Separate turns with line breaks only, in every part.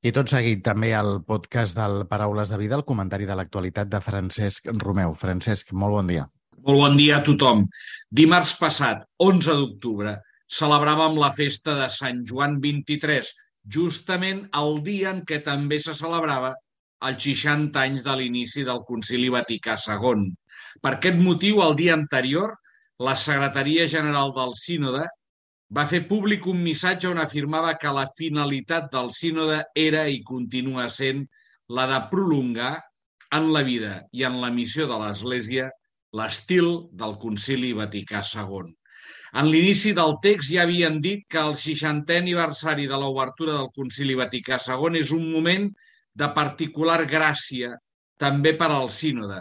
I tot seguit també el podcast del Paraules de Vida, el comentari de l'actualitat de Francesc Romeu. Francesc, molt bon dia.
Molt bon dia a tothom. Dimarts passat, 11 d'octubre, celebràvem la festa de Sant Joan 23, justament el dia en què també se celebrava els 60 anys de l'inici del Concili Vaticà II. Per aquest motiu, el dia anterior, la Secretaria General del Sínode va fer públic un missatge on afirmava que la finalitat del sínode era i continua sent la de prolongar en la vida i en la missió de l'Església l'estil del Concili Vaticà II. En l'inici del text ja havien dit que el 60è aniversari de l'obertura del Concili Vaticà II és un moment de particular gràcia també per al sínode,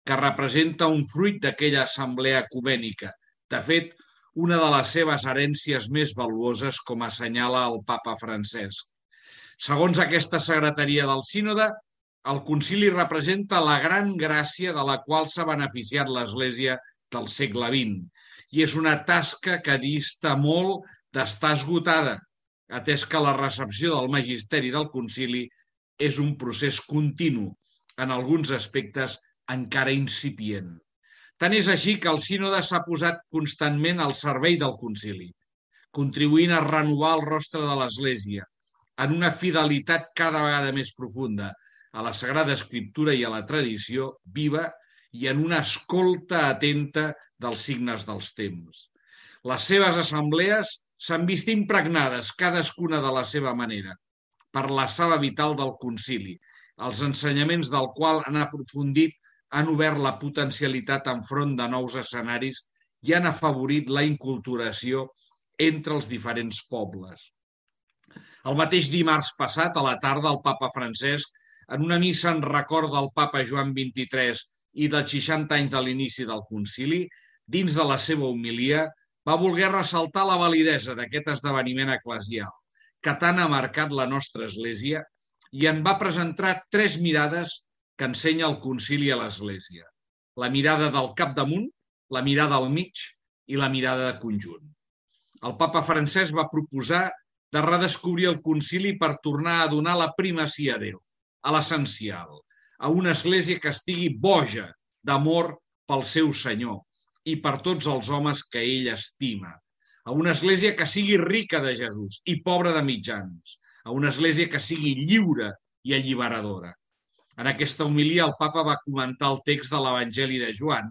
que representa un fruit d'aquella assemblea ecumènica. De fet, una de les seves herències més valuoses, com assenyala el papa Francesc. Segons aquesta secretaria del sínode, el concili representa la gran gràcia de la qual s'ha beneficiat l'Església del segle XX i és una tasca que dista molt d'estar esgotada, atès que la recepció del magisteri del concili és un procés continu, en alguns aspectes encara incipient. Tant és així que el sínode s'ha posat constantment al servei del concili, contribuint a renovar el rostre de l'Església en una fidelitat cada vegada més profunda a la Sagrada Escriptura i a la tradició viva i en una escolta atenta dels signes dels temps. Les seves assemblees s'han vist impregnades, cadascuna de la seva manera, per la sala vital del concili, els ensenyaments del qual han aprofundit, han obert la potencialitat enfront de nous escenaris i han afavorit la inculturació entre els diferents pobles. El mateix dimarts passat, a la tarda, el papa Francesc, en una missa en record del papa Joan XXIII i dels 60 anys de l'inici del concili, dins de la seva homilia, va voler ressaltar la validesa d'aquest esdeveniment eclesial, que tant ha marcat la nostra Església, i en va presentar tres mirades que ensenya el concili a l'Església. La mirada del capdamunt, la mirada al mig i la mirada de conjunt. El papa Francesc va proposar de redescobrir el concili per tornar a donar la primacia a Déu, a l'essencial, a una Església que estigui boja d'amor pel seu Senyor i per tots els homes que ell estima, a una Església que sigui rica de Jesús i pobra de mitjans, a una Església que sigui lliure i alliberadora. En aquesta homilia el papa va comentar el text de l'Evangeli de Joan,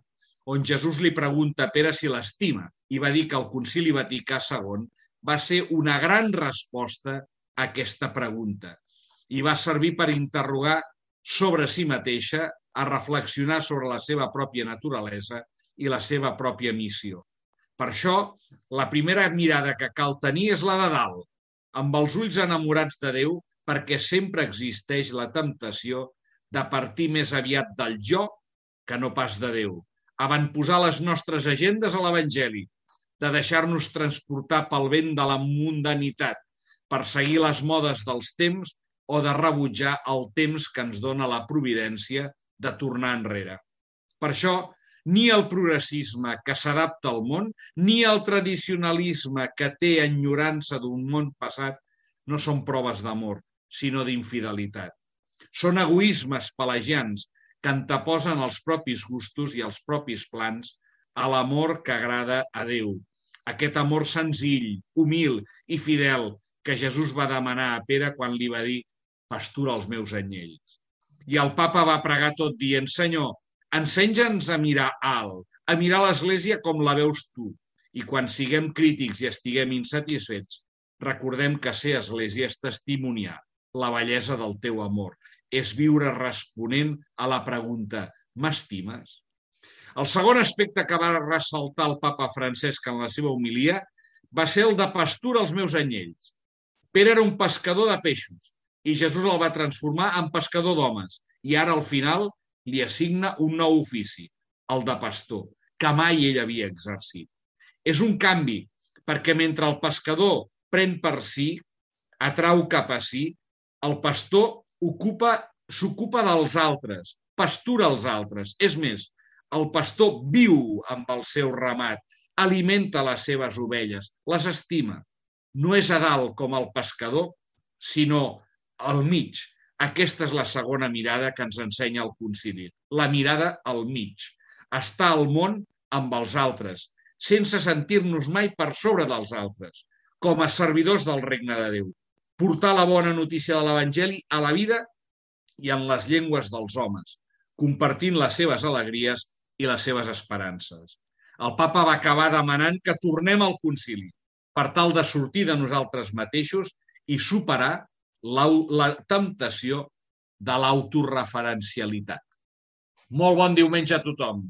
on Jesús li pregunta a Pere si l'estima i va dir que el Concili Vaticà II va ser una gran resposta a aquesta pregunta i va servir per interrogar sobre si mateixa, a reflexionar sobre la seva pròpia naturalesa i la seva pròpia missió. Per això, la primera mirada que cal tenir és la de dalt, amb els ulls enamorats de Déu, perquè sempre existeix la temptació de partir més aviat del jo que no pas de Déu, avantposar les nostres agendes a l'Evangeli, de deixar-nos transportar pel vent de la mundanitat, per seguir les modes dels temps o de rebutjar el temps que ens dona la providència de tornar enrere. Per això, ni el progressisme que s'adapta al món, ni el tradicionalisme que té enyorança d'un món passat no són proves d'amor, sinó d'infidelitat. Són egoismes pelagians que anteposen els propis gustos i els propis plans a l'amor que agrada a Déu. Aquest amor senzill, humil i fidel que Jesús va demanar a Pere quan li va dir «pastura els meus anyells». I el papa va pregar tot dient «Senyor, ensenya'ns a mirar alt, a mirar l'Església com la veus tu, i quan siguem crítics i estiguem insatisfets, recordem que ser Església és testimoniar la bellesa del teu amor, és viure responent a la pregunta «m'estimes?». El segon aspecte que va ressaltar el papa Francesc en la seva homilia va ser el de pastura als meus anyells. Pere era un pescador de peixos i Jesús el va transformar en pescador d'homes i ara al final li assigna un nou ofici, el de pastor, que mai ell havia exercit. És un canvi, perquè mentre el pescador pren per si, atrau cap a si, el pastor s'ocupa dels altres, pastura els altres. És més, el pastor viu amb el seu ramat, alimenta les seves ovelles, les estima. No és a dalt com el pescador, sinó al mig. Aquesta és la segona mirada que ens ensenya el concili. La mirada al mig. Estar al món amb els altres, sense sentir-nos mai per sobre dels altres, com a servidors del regne de Déu. Portar la bona notícia de l'Evangeli a la vida i en les llengües dels homes, compartint les seves alegries i les seves esperances. El papa va acabar demanant que tornem al concili per tal de sortir de nosaltres mateixos i superar la temptació de l'autoreferencialitat. Molt bon diumenge a tothom.